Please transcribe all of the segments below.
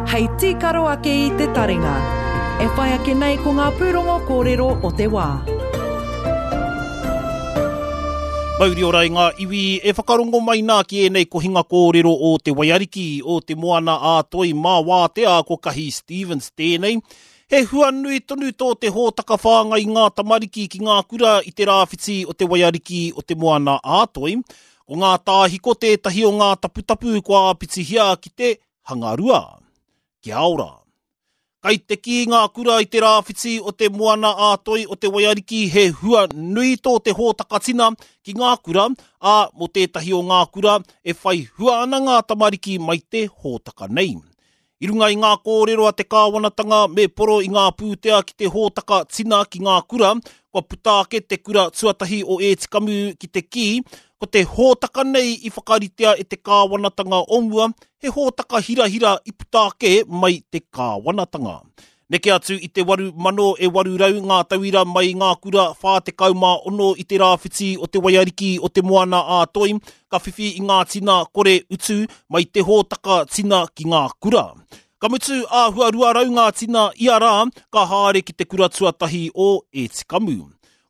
Hei tīkaro ake i te taringa. E whai ake nei ko ngā pūrongo kōrero o te wā. Mauri ora i ngā iwi e whakarongo mai nā ki ēnei kohinga kōrero o Te Waiariki, o Te Moana a Toi mā Wātea ko Kahi Stevens tēnei. He hua nui tonu tō te hōtaka whāngai i ngā tamariki ki ngā kura i te rāwhiti o Te Waiariki o Te Moana a Toi. Ko ngā tāhiko tētahi o ngā taputapu kua āpitihia ki te hangarua. Kia ora. Kai te kī ngā kura i te rāwhiti o te Moana a Toi o Te Waiariki he hua nui tō te hōtaka tina ki ngā kura, ā, mō tētahi o ngā kura e whai hua ana ngā tamariki mai te hōtaka nei. I runga i ngā kōrero a te kāwanatanga me poro i ngā pūtea ki te hōtaka tina ki ngā kura, kua puta ake te kura tuatahi o Ētikamu ki te kī, ko te hōtaka nei i whakaritea e te kāwanatanga o mua, he hōtaka hirahira i puta ake mai te kāwanatanga. Neke atu i te 8,800 ngā tauira mai i ngā kura 46 i te rāwhiti o Te Waiariki o Te Moana a Toi ka whiwhi i ngā tina kore utu mai te hōtaka tina ki ngā kura. Ka mutu āhua 200 ngā tina ia rā ka haere ki te kura tuatahi o Ētikamu.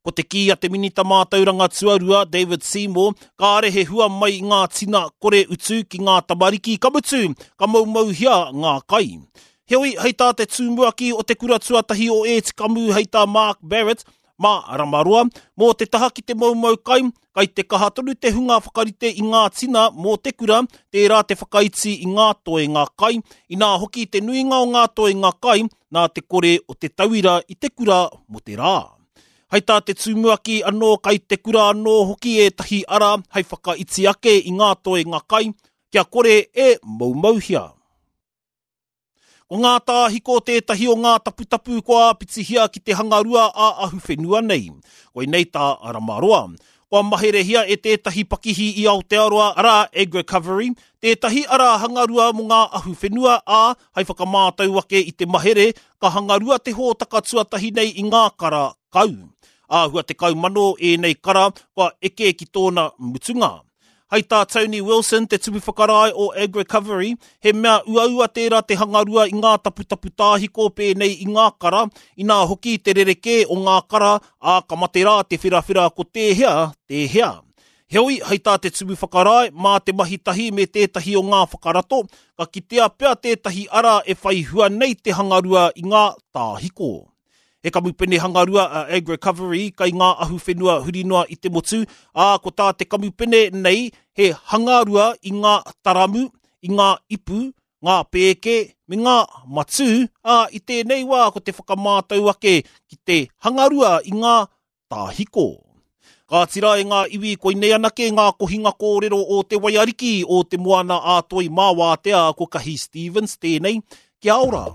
Ko te kī a te Minita Mātauranga Tuarua, David Seymour, kāre he hua mai i ngā tina kore utu ki ngā tamariki, ka mutu, ka moumouhia ngā kai. Heoi, hei tā te tumuaki o te kura tuatahi o Ētikamu hei tā Mark Barrett, mā Ramaroa, mō te taha ki te moumou kai, kai te kaha tonu te hunga whakarite i ngā tina mō te kura, tērā te whakaiti i ngā toenga kai, inā hoki te nuinga o ngā toenga kai nā te kore o te tauira i te kura mō te rā. Hei tā te tumuaki anō kai te kura anō hoki ētahi ara hei whakaiti ake i ngā toenga kai, kia kore e moumouhia. Ko ngā tāhiko tētahi o ngā taputapu kua āpitihia ki te hangarua ā-ahuwhenua nei. Koinei tā Ramaroa. Kua maherehia e tētahi pakihi i Aotearoa, arā, Agricovery, tētahi ara hangarua mō ngā ahuwhenua, ā, hai whakamātau ake i te mahere, ka hangarua te hōtaka tuatahi nei i ngā kara kau. Āhua 10,000 ēnei kara kua eke ki tōna mutunga. Hai tā Tony Wilson, te tumu whakarae o Agricovery, he mea uaua tērā te hangarua i ngā taputapu tāhiko pēnei i ngā kara, inā hoki te rerekē o ngā kara, ā, ka mate rā te wherawhera ko tēhea, tēhea. Heoi, hai tā te tumu whakarae, mā te mahi tahi me tētahi o ngā whakarato, ka kitea pea tētahi ara e whai hua nei te hangarua i ngā tāhiko. He kamupene hangarua a Agricovery kai ngā ahuwhenua huri noa i te motu, ā, ko tā te kamupene nei he hangarua i ngā taramu, i ngā ipu, ngā pēke, me ngā matū, ā, i tēnei wā ko te whakamātau ake ki te hangarua i ngā tāhiko. Kāti rā e ngā iwi koinei anake ngā kohinga kōrero o Te Waiariki, o Te Moana a Toi mā Wātea ko Kahi Stevens tēnei. Kia ora!